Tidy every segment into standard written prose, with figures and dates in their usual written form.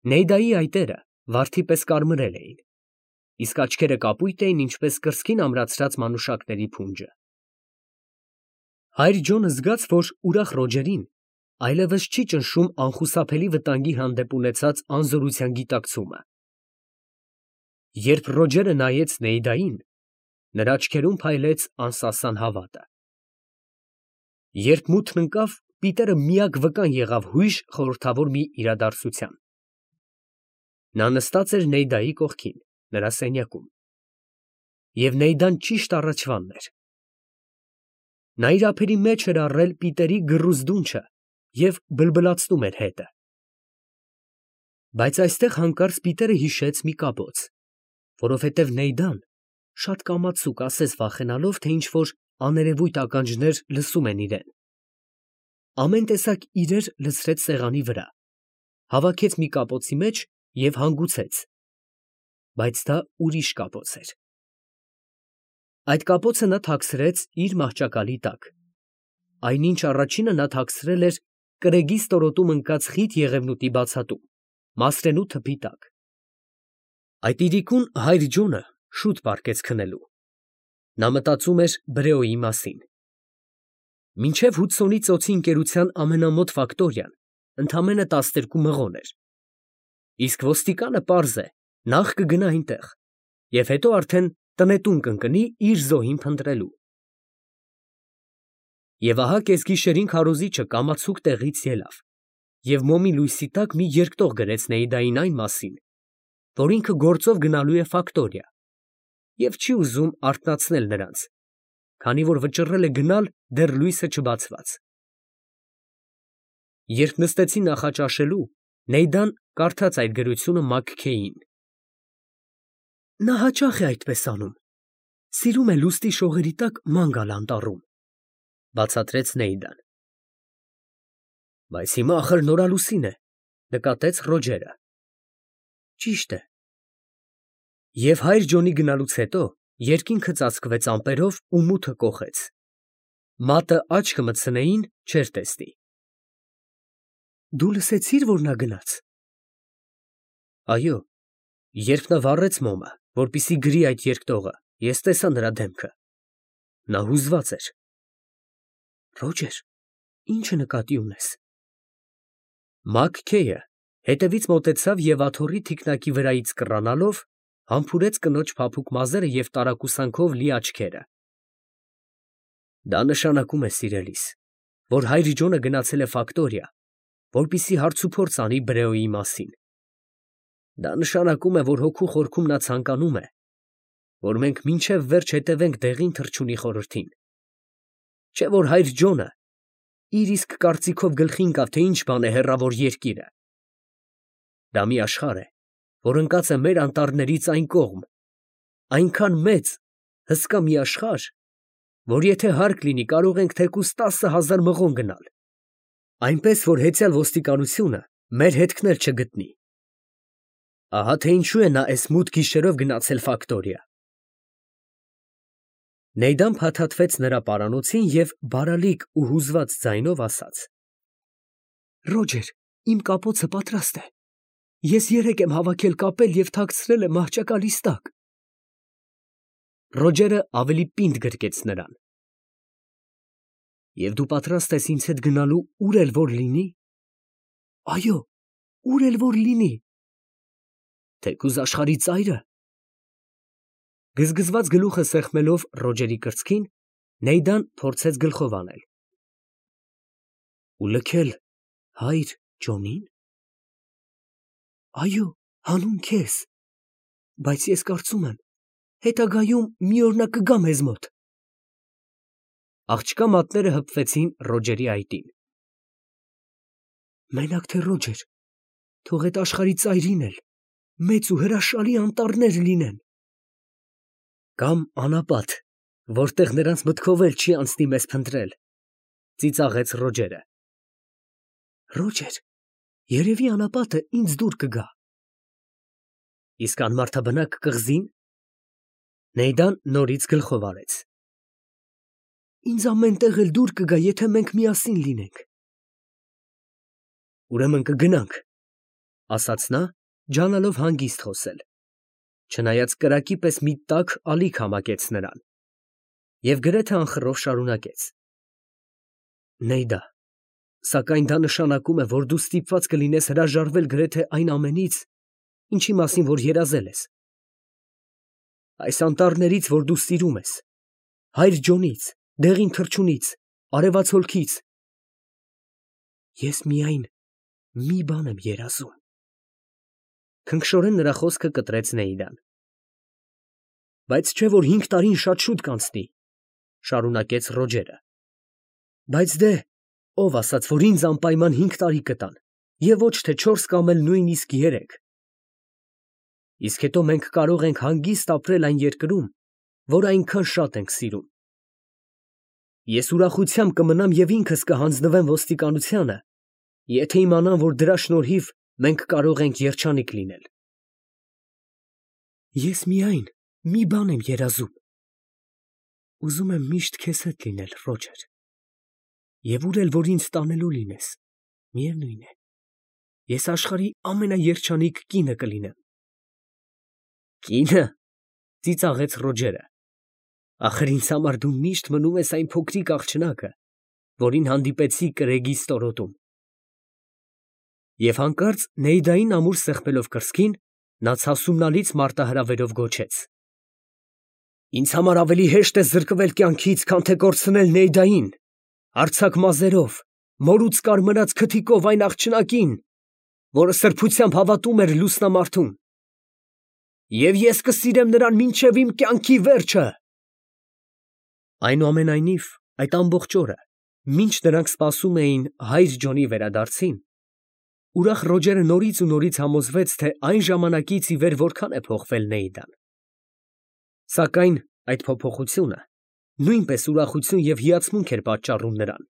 Նեյդայի այտերը վարդի պես կարմրել էին, իսկ աչքերը կապույտ էին, ինչպես կրծքին ամրացրած մանուշակների փունջը։ Հայր Ջոնը զգաց, որ ուրախ Ռոջերին այլևս չի ճնշում անխուսափելի վտանգի հանդեպ ունեցած անզորության գիտակցումը։ Երբ Ռոջերը նայեց Նեյդային, նրա աչքերում փայլեց անսասան հավատը։ Երբ մութն ընկավ, Պիտերը միակ վկան եղավ հույժ խորհրդավոր մի իրադարձության։ Նա նստած էր Նեյդայի կողքին, նրա սենյակում, և Նեյդան ճիշտ առաջվանն էր։ Նա իր ափերի մեջ էր առել Պիտերի գռուզ դունչը և բլբլացնում էր հետը։ Բայց այստեղ հանկարծ Պիտերը հիշեց մի կապոց, որովհետև Նեյդան շատ կամացուկ, ասես վախենալով, թե ինչ֊որ աներևույթ ականջներ լսում են իրեն, ամեն տեսակ իրեր լցրեց սեղանի վրա, հավաքեց մի կապոցի մեջ և հանգուցեց, բայց դա ուրիշ կապոց էր։ Այդ կապոցը նա թաքցրեց իր մահճակալի տակ, այնինչ առաջինը նա թաքցրել էր կրեգի ստորոտում ընկած խիտ եղևնուտի բացատում, մասրենու թփի տակ։ Այդ իրիկուն հայր Ջոնը շուտ պառկեց քնելու։ Նա մտածում էր Բրեոյի մասին։ Մինչև Հուդսոնի ծոցի ընկերության ամենամոտ ֆակտորիան ընդամենը 12 մղոն էր, իսկ ոստիկանը պարզ է, նախ կգնա այնտեղ և հետո արդեն տնետուն կընկնի իր զոհին փնտրելու։ Եվ ահա կեսգիշերին քարոզիչը կամացուկ տեղից ելավ և մոմի լույսի տակ մի երկտող գրեց Նեյդային այն մասին, որ ինքը գործով գնալու է ֆակտորիա և չի ուզում արթնացնել նրանց, քանի որ վճռել է գնալ դեռ լույսը չբացված։ Երբ նստեցին նախաճաշելու, Նեյդան կարդաց այդ գրությունը Մաքքեյին։ Նա հաճախ է այդպես անում, սիրում է լուստի շողերի տակ ման գալ անտառում, բացատրեց Նեյդան։ Բայց հիմա ախր նորալուսին է, նկատեց Ռոջերը։ Ճիշտ է։ Եվ հայր Ջոնի գնալուց հետո երկինքը ծածկվեց ամպերով ու մութը կոխեց։ Մատը աչքը մտցնեին չէր տեսնի։ Դու լսեցի՞ր, որ նա գնաց։ Այո, երբ նա վառեց մոմը, որպեսզի գրի այդ երկտողը, ես տեսա նրա դեմքը։ Նա հուզված էր։ Ռոջեր, ի՞նչը նկատի ունես։ Մաքքեյը հետևից մոտեցավ և աթոռի թիկնակի վրայից կռանալով համբուրեց կնոջ փափուկ մազերը և տարակուսանքով լի աչքերը։ Դա նշանակում է, սիրելիս, որ հայր Ջոնը գնացել է ֆակտորիա, որպեսզի հարցուփորձ անի Բրեոյի մասին։ Դա նշանակում է, որ հոգու խորքում նա ցանկանում է, որ մենք մինչև վերջ հետևենք դեղին թռչունի խորհրդին։ Չէ՞ որ հայր Ջոնը իր իսկ կարծիքով գլխի ընկավ, թե ինչ բան է հեռավոր երկիրը։ Դա մի աշխարհ է, որ ընկած է մեր անտառներից այն կողմ, այնքան մեծ, հսկա մի աշխարհ, որ եթե հարկ լինի, կարող ենք թեկուզ 10,000 մղոն գնալ, այնպես որ հեծյալ ոստիկանությունը մեր հետքն էլ չգտնի։ Ահա թե ինչու է նա էս մութ գիշերով գնացել ֆակտորիա։ Նեյդան փաթաթվեց նրա պարանոցին և բարալիկ ու հուզված ձայնով ասաց. Ռոջեր, իմ կապոցը պատրաստ է։ Ես երեկ եմ հավաքել կապել և թաքցրել եմ մահճակալիս տակ։ Ռոջերը ավելի պինդ գրկեց նրան։ Եվ դու պատրաստ ես ինձ հետ գնալու ուր էլ որ լինի։ Այո, ուր էլ որ լինի։ Թեկուզ աշխարհի ծայրը։ Գզգզված գլուխը սեղմելով Ռոջերի կրծքին, Նեյդան փորձեց գլխով անել։ Ու լքել հայր Ջոնին։ Այո, հանուն քեզ, բայց ես կարծում եմ, հետագայում մի օր նա կգա մեզ մոտ։ Աղջկա մատները հպվեցին Ռոջերի այտին։ Մենակ թե Ռոջեր, թող այդ աշխարհի ծայրին էլ մեծ ու հրաշալի անտառներ լինեն։ Կամ անապատ, որտեղ նրանց մտքով էլ չի անցնի մեզ փնտրել, ծիծաղեց Ռոջերը։ Ռոջեր, երևի անապատը ինձ դուր կգա։ Իսկ անմարդաբնակ կղզի՞ն։ Նեյդան նորից գլխով արեց։ Ինձ ամեն տեղ էլ դուր կգա, եթե մենք միասին լինենք։ Ուրեմն կգնանք, ասաց նա, ջանալով հանգիստ խոսել, չնայած կրակի պես մի տաք ալիք համակեց նրան, և գրեթե անխռով շարունակեց. Նեյդա, սակայն դա նշանակում է, որ դու ստիպված կլինես հրաժարվել գրեթե այն ամենից, ինչի մասին որ երազել ես. այս անտառներից, որ դու սիրում ես, Հայր Ջոնից, դեղին թռչունից, արևածոլքից, ես միայն մի բան եմ երազում։ Քնքշորեն նրա խոսքը կտրեց Նեյդան։ Բայց չէ որ 5 տարին շատ շուտ կանցնի, շարունակեց Ռոջերը։ Բայց դե, ով ասաց, որ ինձ անպայման 5 տարի կտան, և ոչ թե 4 կամ էլ նույնիսկ 3։ Իսկ հետո մենք կարող ենք հանգիստ ապրել այն երկրում, որ այնքան շատ ենք սիրում։ Ես ուրախությամբ կմնամ և ինքս կհանձնվեմ ոստիկանությանը, եթե իմանամ, որ դրա շնորհիվ մենք կարող ենք երջանիկ լինել։ Ես միայն մի բան եմ երազում. ուզում եմ միշտ քեզ հետ լինել, Ռոջեր, և ուր էլ որ ինձ տանելու լինես, միևնույն է, ես աշխարհի ամենաերջանիկ կինը կլինեմ։ Կինը, ծիծաղեց Ռոջերը, ախր ինձ համար դու միշտ մնում ես այն փոքրիկ աղջնակը, որին հանդիպեցի կրեգի ստորոտում։ Եվ հանկարծ Նեյդային ամուր սեղմելով կրծքին, նա ցասումնալից մարտահրավերով գոչեց. Ինձ համար ավելի հեշտ է զրկվել կյանքից, քան թե կորցնել Նեյդային, արձակ մազերով, մորուց կարմրած քթիկով այն աղջնակին, որը սրբությամբ հավատում էր լուսնամարդուն։ Եվ ես կսիրեմ նրան մինչև իմ կյանքի վերջը։ Այնուամենայնիվ, այդ ամբողջ օրը, մինչ նրանք սպասում էին Հայր Ջոնի վերադարձին, ուրախ Ռոջերը նորից ու նորից համոզվեց, թե այն ժամանակից ի վեր որքան է փոխվել Նեյդան։ Սակայն այդ փոփոխությունը նույնպես ուրախություն և հիացմունք էր պատճառում նրան։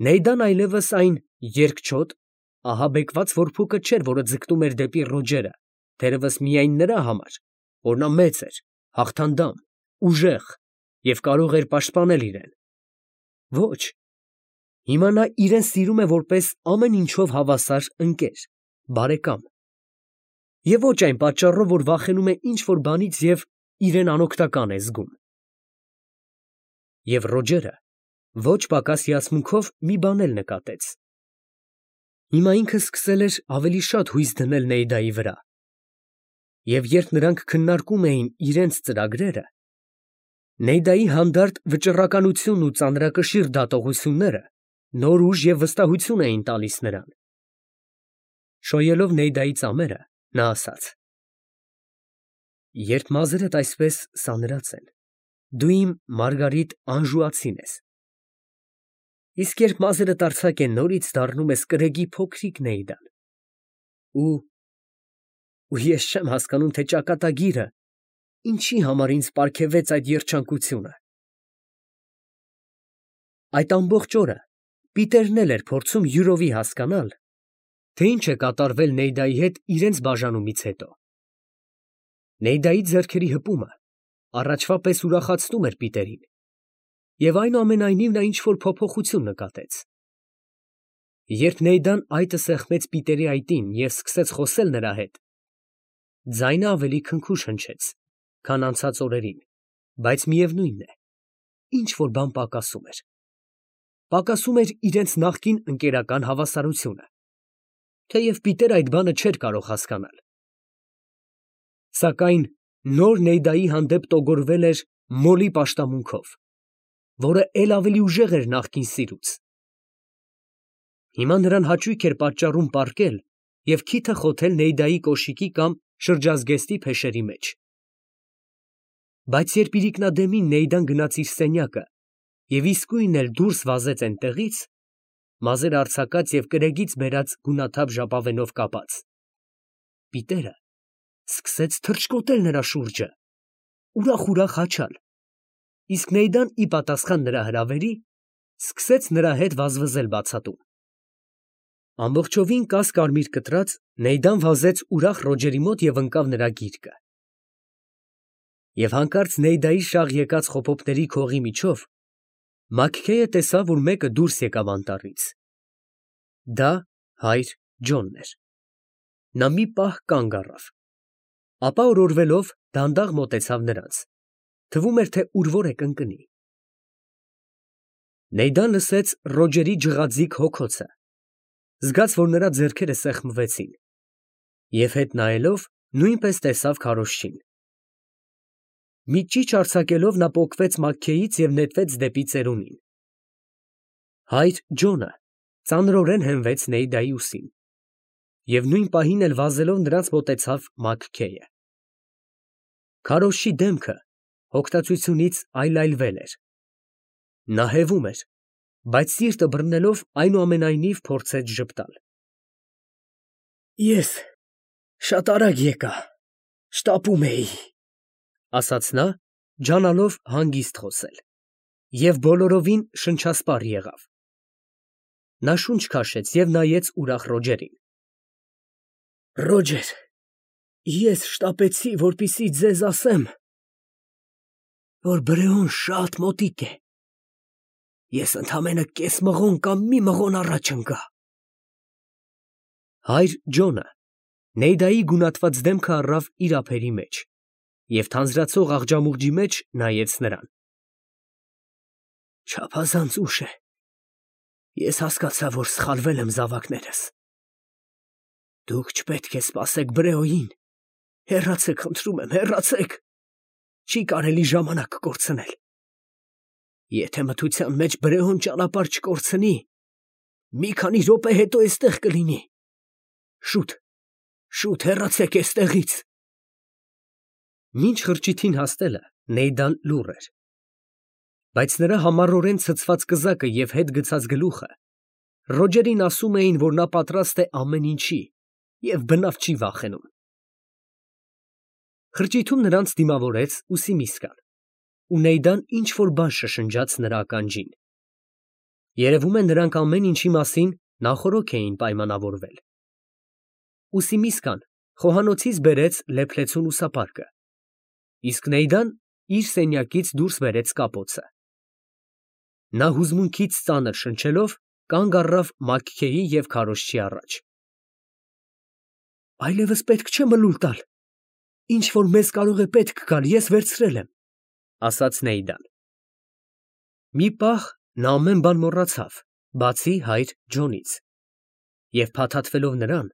Նեյդան այլևս այն երկչոտ, ահաբեկված որփուկը չէր, որը ձգտում էր դեպի Ռոջերը, թերևս միայն նրա համար, որ նա մեծ էր, հաղթանդամ, ուժեղ և կարող էր պաշտպանել իրեն։ Ոչ, հիմա նա իրեն սիրում է որպես ամեն ինչով հավասար ընկեր, բարեկամ։ Եվ ոչ այն պատճառով, որ վախենում է ինչ֊որ բանից և իրեն անօգնական է զգում։ Եվ Ռոջերը ոչ պակաս հիացմունքով մի բան էլ նկատեց. հիմա ինքը սկսել էր ավելի շատ հույս դնել Նեյդայի վրա։ Եվ երբ նրանք քննարկում էին իրենց ծրագրերը, Նեյդայի հանդարտ վճռականությունն ու ծանրակշիռ դատողությունները նոր ուժ և վստահություն էին տալիս նրան։ Շոյելով Նեյդայի ծամերը, նա ասաց. Երբ մազերդ այսպես սանրած են, դու իմ Մարգարիտ անժուացին ես, իսկ երբ մազերդ արձակ են, նորից դառնում ես կրեգի փոքրիկ Նեյդան։ Ու ես չեմ հասկանում, թե ճակատագիրը ինչի համար ինձ պարգևեց այդ երջանկությունը։ Այդ ամբողջ օրը Պիտերն էլ էր փորձում յուրովի հասկանալ, թե ինչ է կատարվել Նեյդայի հետ իրենց բաժանումից հետո։ Նեյդայի ձեռքերի հպումը առաջվա պես ուրախացնում էր Պիտերին, և այնուամենայնիվ նա ինչ֊որ փոփոխություն նկատեց։ Երբ Նեյդան այտը սեղմեց Պիտերի այտին և սկսեց խոսել նրա հետ, ձայնը ավելի քնքուշ հնչեց, քան անցած օրերին, բայց միևնույն է, ինչ֊որ բան պակասում էր։ Պակասում էր իրենց նախկին ընկերական հավասարությունը, թեև Պիտերը այդ բանը չէր կարող հասկանալ։ Սակայն նոր Նեյդայի հանդեպ տոգորվել էր մոլի պաշտամունքով, որը էլ ավելի ուժեղ էր նախկին սիրուց։ Հիմա նրան հաճույք էր պատճառում պառկել և քիթը խոթել Նեյդայի կոշիկի կամ շրջազգեստի փեշերի մեջ։ Բայց երբ իրիկնադեմին Նեյդան գնաց իր սենյակը և իսկույն էլ դուրս վազեց էնտեղից, մազերը արձակած և կրեգից բերած գունաթափ ժապավենով կապած, Պիտերը սկսեց թռչկոտել նրա շուրջը, ուրախ հաչալ, իսկ Նեյդան ի պատասխան նրա հրավերի, սկսեց նրա հետ վազվզել բացատում։ Ամբողջովին կաս֊կարմիր կտրած, Նեյդան վազեց ուրախ Ռոջերի մոտ և ընկավ նրա գիրկը։ Եվ հանկարծ Նեյդայի շաղ եկած խոփոփների քողի միջով Մաքքեյը տեսավ, որ մեկը դուրս եկավ անտառից։ Դա Հայր Ջոնն էր։ Նա մի պահ կանգ առավ, ապա օրորվելով դանդաղ մոտեցավ նրանց, թվում էր, թե ուր որ է կընկնի։ Նեյդան լսեց Ռոջերի ջղաձիգ հոգոցը, զգաց, որ նրա ձեռքերը սեղմվեցին, և հետ նայելով նույնպես տեսավ քարոզչին։ Մի ճիչ արձակելով նա պոկվեց մաքքեից և նետվեց դեպի ծերունին։ Հայր Ջոնը ծանրորեն հենվեց Նեյդայի ուսին և նույն պահին էլ վազելով նրանց մոտեցավ Մաքքեյը։ Քարոզչի դեմքը հոգտացությունից այլայլվել էր։ Նա հևում էր, բայց սիրտը բռնելով այնուամենայնիվ փորձեց ժպտալ։ Ես շատ արագ եկա, շտապում էի, ասաց նա, ջանալով հանգիստ խոսել, և բոլորովին շնչասպառ եղավ։ Նա շունչ քաշեց և նայեց ուրախ Ռոջերին։ Ռոջեր, ես շտապեցի, որպեսզի ձեզ ասեմ, որ Բրեոն շատ մոտիկ է։ Ես ընդամենը կես մղոն կամ մի մղոն առաջ ընկա։ Հայր Ջոնը Նեյդայի գունատված դեմքը առավ իր ափերի մեջ և թանձրացող աղջամուղջի մեջ նայեց նրան։ Չափազանց ուշ է։ Ես հասկացա, որ սխալվել եմ զավակներս։ Դուք չպետք է սպասեք Բրեոյին։ Հեռացեք, խնդրում եմ, հեռացեք։ Չի կարելի ժամանակ կորցնել։ Եթե մթության մեջ Բրեոն ճանապարհ չկորցնի, մի քանի րոպե հետո էստեղ կլինի։ Շուտ, շուտ հեռացեք էստեղից։ Մինչ խրճիթին հասնելը Նեյդան լուռ էր, բայց նրա համառորեն ցցված կզակը և հետ գցած գլուխը Ռոջերին ասում էին, որ նա պատրաստ է ամեն ինչի և բնավ չի վախենում։ Խրճիթում նրանց դիմավորեց Ուսիմիսկան, ու Նեյդան ինչ֊որ բան շշնջաց նրա ականջին։ Երևում է, նրանք ամեն ինչի մասին նախօրոք էին պայմանավորվել։ Ուսիմիսկան խոհանոցից բերեց լեփլեցուն ուսապարկը, իսկ Նեյդան իր սենյակից դուրս բերեց կապոցը։ Նա հուզմունքից ծանր շնչելով կանգ առավ Մաքքեյի և քարոզչի առաջ։ Այլևս պետք չէ մլուլ տալ։ Ինչ որ մեզ կարող է պետք գալ, ես վերցրել եմ, ասաց Նեյդան։ Մի պահ նա ամեն բան մոռացավ, բացի հայր Ջոնից, և փաթաթվելով նրան,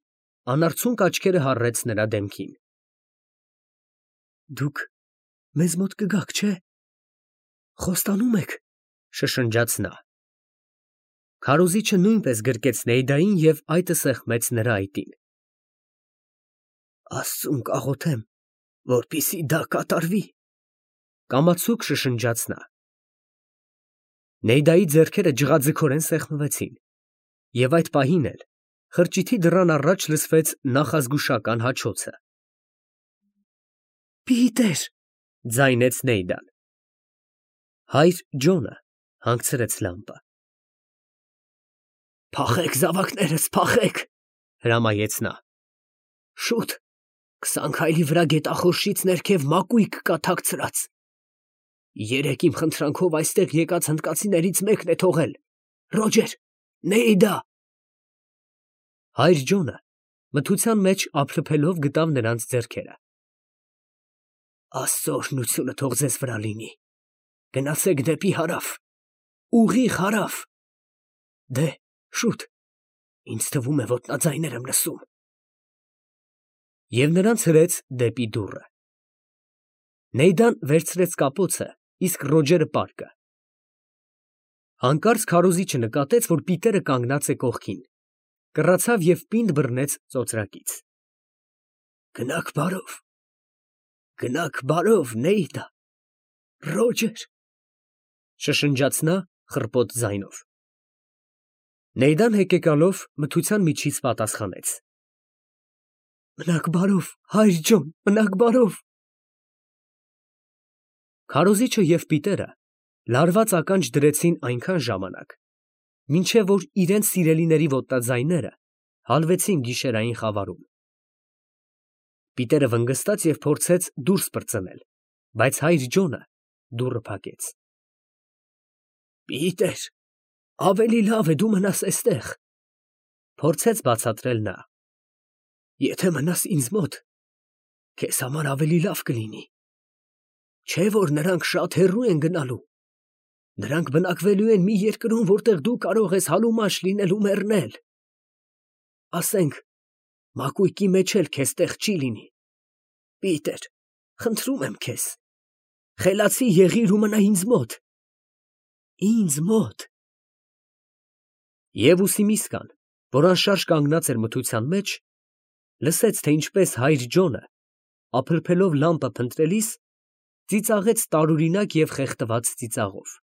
անարցունք աչքերը հառեց նրա դեմքին։ Դուք մեզ մոտ կգաք, չէ՞։ Խոստանում եք, շշնջաց նա։ Քարոզիչը նույնպես գրկեց Նեյդային և այտը սեղմեց նրա այտին։ Աստծուն կաղոթեմ, որպեսզի դա կատարվի, կամացուկ շշնջաց նա։ Նեյդայի ձեռքերը ջղաձգորեն սեղմվեցին, և այդ պահին էլ խրճիթի դռան առաջ լսվեց նախազգուշական հաչոցը։ Պիտեր, ձայնեց Նեյդան։ Հայր Ջոնը հանգցրեց լամպը։ Փախեք, զավակներս, փախեք, հրամայեց նա։ Շուտ, 20 քայլի վրա գետախորշից ներքև մակույկ կա թաքցրած։ Երեկ իմ խնդրանքով այստեղ եկած հնդկացիներից մեկն է թողել։ Ռոջեր, Նեյդա։ Հայր Ջոնը մթության մեջ ափլփելով գտավ նրանց ձեռքերը։ Աստծո օրհնությունը թող ձեզ վրա լինի։ Գնացեք դեպի հարավ, ուղիղ հարավ։ Դե, շուտ, ինձ թվում է ոտնաձայներ եմ լսում։ Եվ նրանց հրեց դեպի դուռը։ Նեյդան վերցրեց կապոցը, իսկ Ռոջերը պարկը։ Հանկարծ քարոզիչը նկատեց, որ Պիտերը կանգնած է կողքին, կռացավ և պինդ բռնեց ծոծրակից։ Գնաք բարով, Նեյդա, Ռոջեր, շշնջաց նա խռպոտ ձայնով։ Նեյդան հեկեկալով մթության միջից պատասխանեց. Մնաք բարով, հայր Ջոն, մնաք բարով։ Քարոզիչը և Պիտերը լարված ականջ դրեցին այնքան ժամանակ, մինչև որ իրենց սիրելիների ոտնաձայները հալվեցին գիշերային խավարում։ Պիտերը վնգստաց և փորձեց դուրս պրծնել, բայց հայր Ջոնը դուռը փակեց։ Պիտեր, ավելի լավ է դու մնաս էստեղ, փորձեց բացատրել նա։ Եթե մնաս ինձ մոտ, քեզ համար ավելի լավ կլինի։ Չէ՞ որ նրանք շատ հեռու են գնալու։ Նրանք բնակվելու են մի երկրում, որտեղ դու կարող ես հալումաշ լինել ու մեռնել։ Ասենք, մակույկի մեջ էլ քեզ տեղ չի լինի։ Պիտեր, խնդրում եմ քեզ, խելացի եղիր ու մնա ինձ մոտ։ Ինձ մոտ։ Եվ Ուսիմիսկան, որ անշարժ կանգնած էր մթության մեջ, լսեց, թե ինչպես հայր Ջոնը, ապրփելով լամպը փնտրելիս, ծիծաղեց տարօրինակ և խեղդված ծիծաղով։